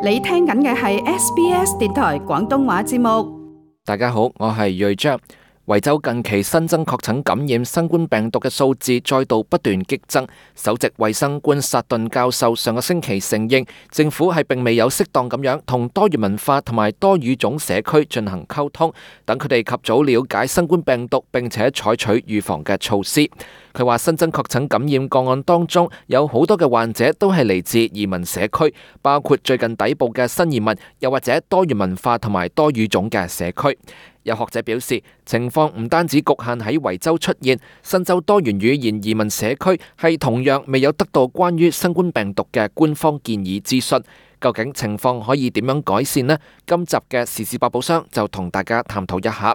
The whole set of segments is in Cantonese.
你聽緊嘅係 SBS 電台廣東話節目。大家好，我係瑞章。維州近期新增確診感染新冠病毒嘅數字再度不斷激增。首席衛生官薩頓教授上個星期承認，政府係並未有適當咁樣同多元文化同埋多語種社區進行溝通，等佢哋及早了解新冠病毒，並且採取預防嘅措施。佢話新增確診感染個案當中，有好多嘅患者都係嚟自移民社區，包括最近抵埗嘅新移民，又或者多元文化同埋多語種嘅社區。有學者表示，情況唔單止局限喺維州出現，新州多元語言移民社區係同樣未有得到關於新冠病毒嘅官方建議諮詢。究竟情況可以點樣改善呢？今集嘅時事百寶箱就同大家探討一下。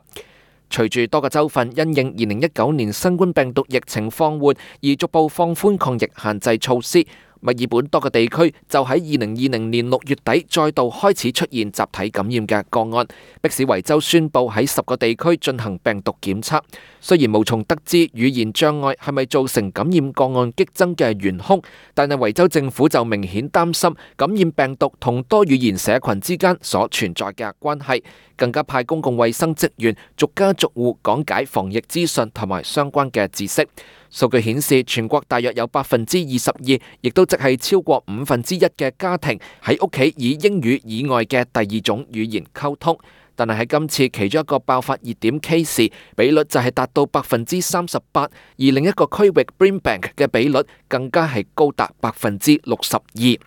隨住多個州份因應2019年新冠病毒疫情放緩而逐步放寬抗疫限制措施，墨爾本多個地區就喺2020年6月底再度開始出現集體感染嘅個案，迫使維州宣布喺10個地區進行病毒檢測。雖然無從得知語言障礙係咪造成感染個案激增嘅元兇，但係維州政府就明顯擔心感染病毒同多語言社群之間所存在嘅關係，更加派公共衛生職員逐家逐戶講解防疫資訊同埋相關嘅知識。數據顯示，全國大約有22%，亦都即係超過1/5嘅家庭喺屋企以英語以外嘅第二種語言溝通。但係喺今次其中一個爆發熱點 case， 比率就係達到38%，而另一個區域 Brimbank 嘅比率更加係高達62%。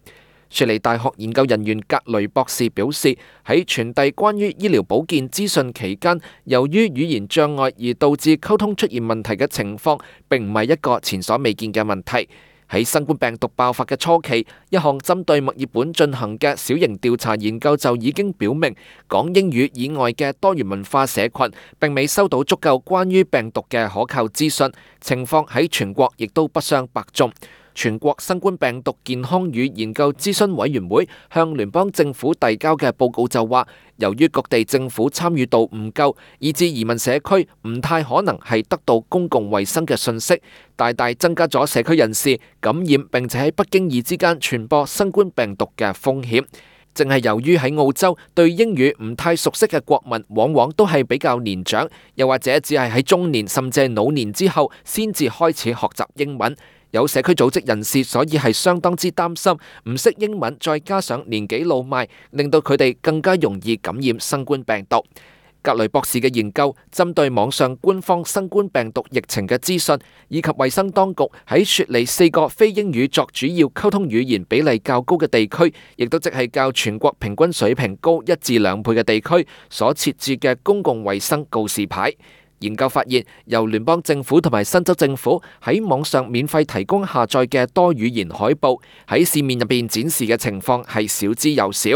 雪梨大學研究人員格雷博士表示，喺傳遞關於醫療保健資訊期間，由於語言障礙而導致溝通出現問題嘅情況，並唔係一個前所未見嘅問題。喺新冠病毒爆發嘅初期，一項針對墨爾本進行嘅小型調查研究就已經表明，講英語以外嘅多元文化社群並未收到足夠關於病毒嘅可靠資訊，情況喺全國亦都不相伯仲。全國新冠病毒健康與研究諮詢委員會向聯邦政府遞交嘅報告就話，由於各地政府參與度唔夠，以致移民社區唔太可能係得到公共衛生嘅信息，大大增加咗社區人士感染並且喺不經意之間傳播新冠病毒嘅風險。正係由於喺澳洲對英語唔太熟悉嘅國民，往往都係比較年長，又或者只係喺中年甚至係老年之後先至開始學習英文。有社區組織人士所以係相當之擔心，唔識英文再加上年紀老邁，令到佢哋更加容易感染新冠病毒。格雷博士嘅研究針對網上官方新冠病毒疫情嘅資訊，以及衛生當局喺雪梨4個非英語作主要溝通語言比例較高嘅地區，亦都即係較全國平均水平高1至2倍嘅地區所設置嘅公共衛生告示牌。研究發現，由聯邦政府同埋新州政府喺網上免費提供下載嘅多語言海報，喺市面入邊展示嘅情況係少之又少。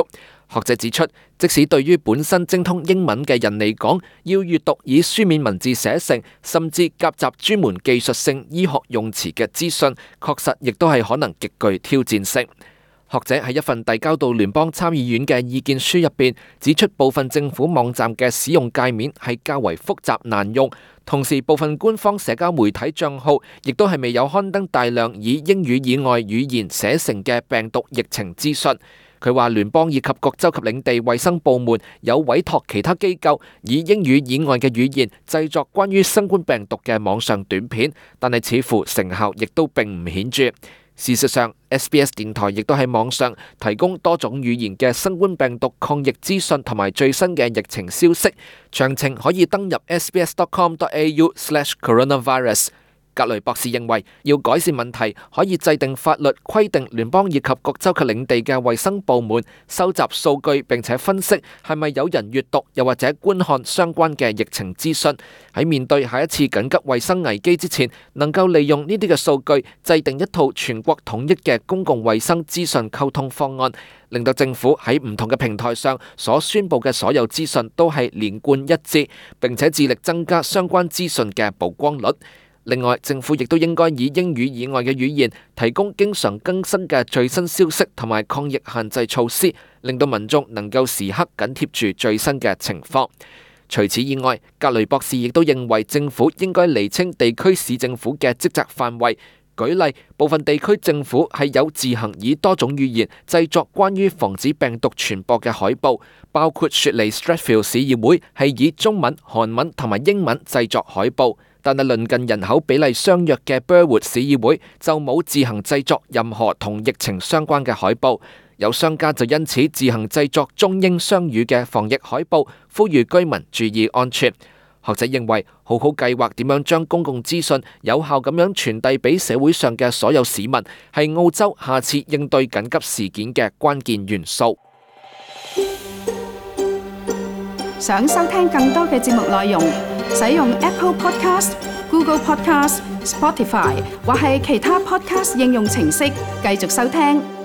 學者指出，即使對於本身精通英文嘅人嚟講，要閱讀以書面文字寫成，甚至夾雜專門技術性醫學用詞嘅資訊，確實亦都係可能極具挑戰性。學者喺一份遞交到聯邦參議院嘅意見書入邊指出，部分政府網站嘅使用界面係較為複雜難用，同時部分官方社交媒體帳號亦都係未有刊登大量以英語以外語言寫成嘅病毒疫情資訊。佢話聯邦以及各州及領地衛生部門有委託其他機構以英語以外嘅語言製作關於新冠病毒嘅網上短片，但係似乎成效亦都並唔顯著。事實上， SBS 電台亦都喺網上提供多種語言嘅新冠病毒抗疫資訊同埋最新嘅疫情消息，詳情可以登入 sbs.com.au/coronavirus。格雷博士認為，要改善問題，可以制定法律規定聯邦以及各州及領地嘅衛生部門收集數據，並且分析係咪有人閱讀又或者觀看相關嘅疫情資訊，喺面對下一次緊急衛生危機之前，能夠利用呢啲嘅數據制定一套全國統一嘅公共衛生資訊溝通方案，令到政府喺唔同嘅平台上所宣佈嘅所有資訊都係連貫一致，並且致力增加相關資訊嘅曝光率。另外，政府亦都應該以英語以外嘅語言提供經常更新嘅最新消息同埋抗疫限制措施，令到民眾能夠時刻緊貼住最新嘅情況。除此以外，格雷博士亦都認為政府應該釐清地區市政府嘅職責範圍，舉例，部分地區政府係有自行以多種語言製作關於防止病毒傳播嘅海報，包括雪梨 Strathfield 市議會係以中文、韓文同埋英文製作海報，但係鄰近人口比例相若嘅 Burwood 市議會就冇自行製作任何同疫情相關嘅海報。有商家就因此自行製作中英雙語嘅防疫海報，呼籲居民注意安全。學者認為，好好計劃點樣將公共資訊有效咁樣傳遞俾社會上嘅所有市民，係澳洲下次應對緊急事件嘅關鍵元素。想收聽更多嘅節目內容，使用 Apple Podcast、Google Podcast、Spotify 或係其他 Podcast 應用程式繼續收聽。